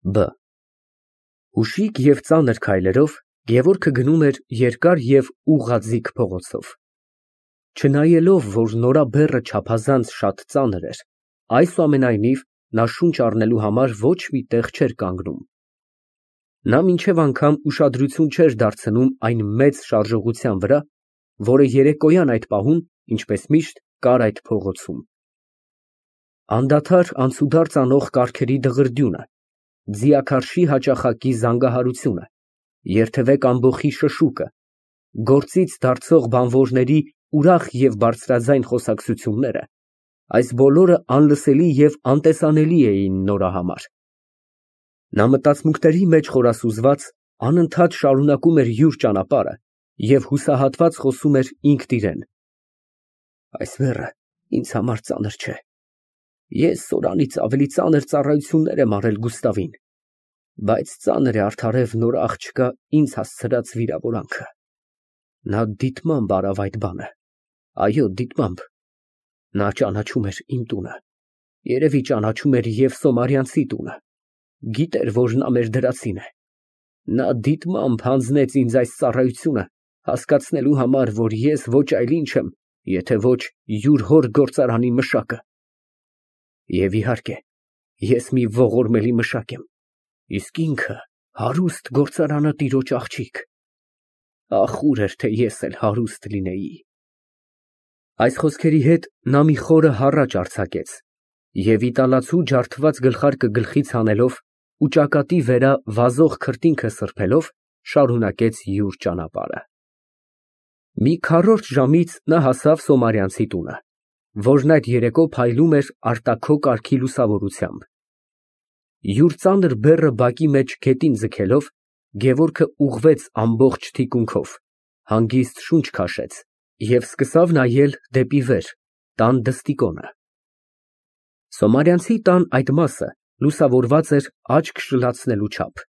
Բ Ուշիկ և ծանր քայլերով Գևորգը գնում էր երկար և ուղղաձիգ փողոցով։ Չնայելով, որ նորաբեռը չափազանց շատ ծանր էր, այսուամենայնիվ նա շունչ առնելու համար ոչ մի տեղ չէր կանգնում։ Նա մինչև անգամ ուշադրություն չէր դարձնում այն մեծ շարժողության վրա, որը երեկոյան այդ պահում, ինչպես միշտ, կար այդ փողոցում։ Անդադար անցուդարձ անող կառքերի դղրդյունը, ձիաքարշի հաճախակի զանգահարությունը, երթևեկ ամբոխի շշուկը, գործից դարձող բանվորների ուրախ և բարձրաձայն խոսակցությունները, այս բոլորը անլսելի և անտեսանելի էին նորա համար։ Նա մտածմունքների մեջ խորասուզված, անընդհատ շարունակում էր յուր ճանապարհը և հուսահատված խոսում էր ինքն իրան. «Այս բեռը ինձ համար ծանր չէ։ Ես Սորանից ավելի ծանր ծառայություններ եմ արել Գուստավին, բայց ծանր է արդարև նոր աղջկա ինձ հասցրած վիրավորանքը։ Նա դիտմամբ արավ այդ բանը, այո, դիտմամբ։ Նա ճանաչում էր իմ տունը, երևի ճանաչում էր և Սոմարյանցի տունը, գիտեր, որ նա մեր դրացին է։ Նա դիտմամբ հանձնեց ինձ այս ծառայությունը, հասկացնելու համար, որ ես ոչ այլ ինչ եմ, եթե ոչ յուր հոր գործարանի մշակը։ Եվ իհարկե, ես մի ողորմելի մշակ եմ, իսկ ինքը հարուստ գործարանատիրոջ աղջիկ։ Ախ, ուր էր, թե ես էլ հարուստ լինեի»։ Այս խոսքերի հետ նա մի խորը հառաչ արձակեց և իտալացու ջարդված գլխարկը գլխից հանելով ու ճակատի վերա վազող քրտինքը սրբելով, շարունակեց յուր ճանապարհը։ Մի քառորդ ժամից նա հասավ Սոմարյանցի տունը, որն այդ երեկո փայլում էր արտաքո կարգի լուսավորությամբ։ Յուր ծանր բեռը բակի մեջ գետին ձգելով, Գևորգը ուղղվեց ամբողջ թիկունքով, հանգիստ շունչ քաշեց և սկսավ նայել դեպի վեր, տան դստիկոնը։ Սոմարյանցի տան այդ մասը լուսավորված էր աչք շլացնելու չափ։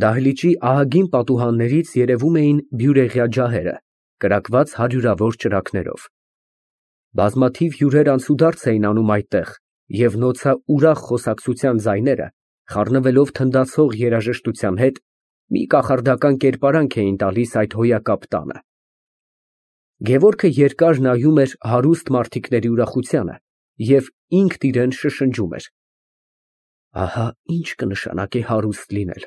Դահլիճի ահագին պատուհաններից երևում էին բյուրեղյա ջահերը, կրակված հարյուրավոր ճրագներով։ Բազմաթիվ հյուրեր անցուդարձ էին անում այդտեղ, և նոցաուրախ խոսակցության ձայները, խառնվելով թնդացող երաժշտության հետ, մի կախարդական կերպարանք էին տալիս այդ հոյակապ տանը։ Գևորգը երկար նայում էր հարուստ մարդիկների ուրախությանը և ինքն իրան շշնջում էր. «Ահա ինչ կնշանակե հարուստ լինել,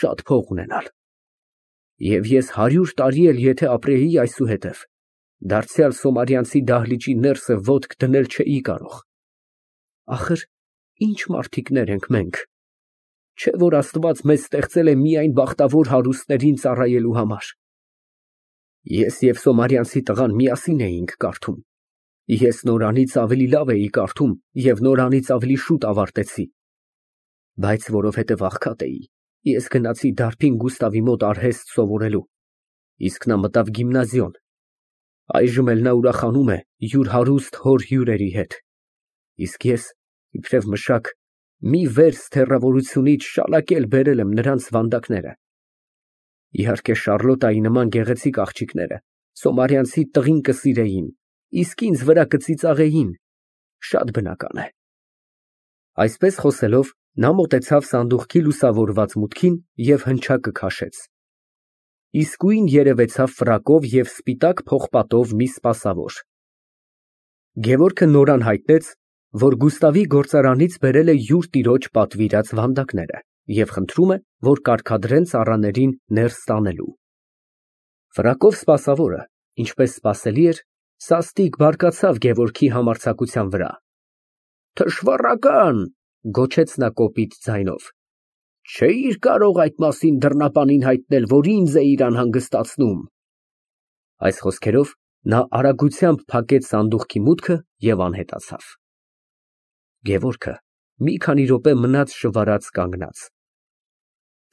շատ փող ունենալ։ Եվ ես 100 տարի էլ եթե ապրեի այսուհետև, դարձյալ Սոմարյանցի դահլիճի ներսը ոտք դնել չէի կարող։ Ախր ինչ մարդիկներ ենք մենք, չէ՞ որ Աստված մեզ ստեղծել է միայն բախտավոր հարուստներին ծառայելու համար։ Ես և Սոմարյանցի տղան միասին էինք կարդում, ես նորանից ավելի լավ էի կարդում և նորանից ավելի շուտ ավարտեցի, բայց որովհետև աղքատ էի, ես գնացի դարբին Գուստավի մոտ արհեստ սովորելու, իսկ նա մտավ գիմնազիոն։ Այժմ էլ նա ուրախանում է յուր հարուստ հոր հյուրերի հետ, իսկ ես, իբրև մշակ, մի վերս թեռավորությունից շալակել բերել եմ նրանց վանդակները։ Իհարկե Շառլոտայի նման գեղեցիկ աղջիկները Սոմարյանցի տղին կսիրեին, իսկ ինձ վրա կծիծաղեին, շատ բնական է»։ Այսպես խոսելով, նա մոտեցավ սանդուղքի լուսավորված մուտքին և հնչակը քաշեց։ Իսկույն երևեցավ ֆրակով և սպիտակ փողպատով մի սպասավոր։ Գևորգը նորան հայտնեց, որ Գուստավի գործարանից բերել է յուր տիրոջ պատվիրած վանդակները և խնդրում է, որ կարգադրեն ծառաներին ներս տանելու։ Ֆրակով սպասավորը, ինչպես սպասելի էր, սաստիկ բարկացավ Գևորգի համարձակության վրա։ «Թշվառական», գոչեց նա կոպիտ ձայնով, «չէիր կարող այդ մասին դռնապանին հայտնել, որ ինձ էիր անհանգստացնում»։ Այս խոսքերով նա արագությամբ փակեց սանդուղքի մուտքը և անհետացավ։ Գևորգը մի քանի րոպե մնաց շվարած կանգնած։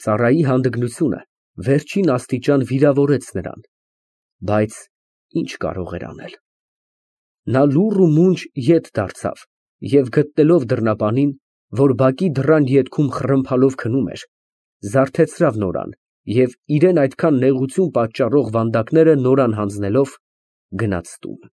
Ծառայի հանդգնությունը վերջին աստիճան վիրավորեց նրան, բայց ինչ կարող էր անել։ Նա լուռ ու մունջ ետ դարձավ և գտնելով դռնապանին, որ բակի դռան ետքում խռմփալով քնում էր, զարթեցրավ նորան և իրան այդքան նեղություն պատճառող վանդակները նորան հանձնելով, գնաց տուն։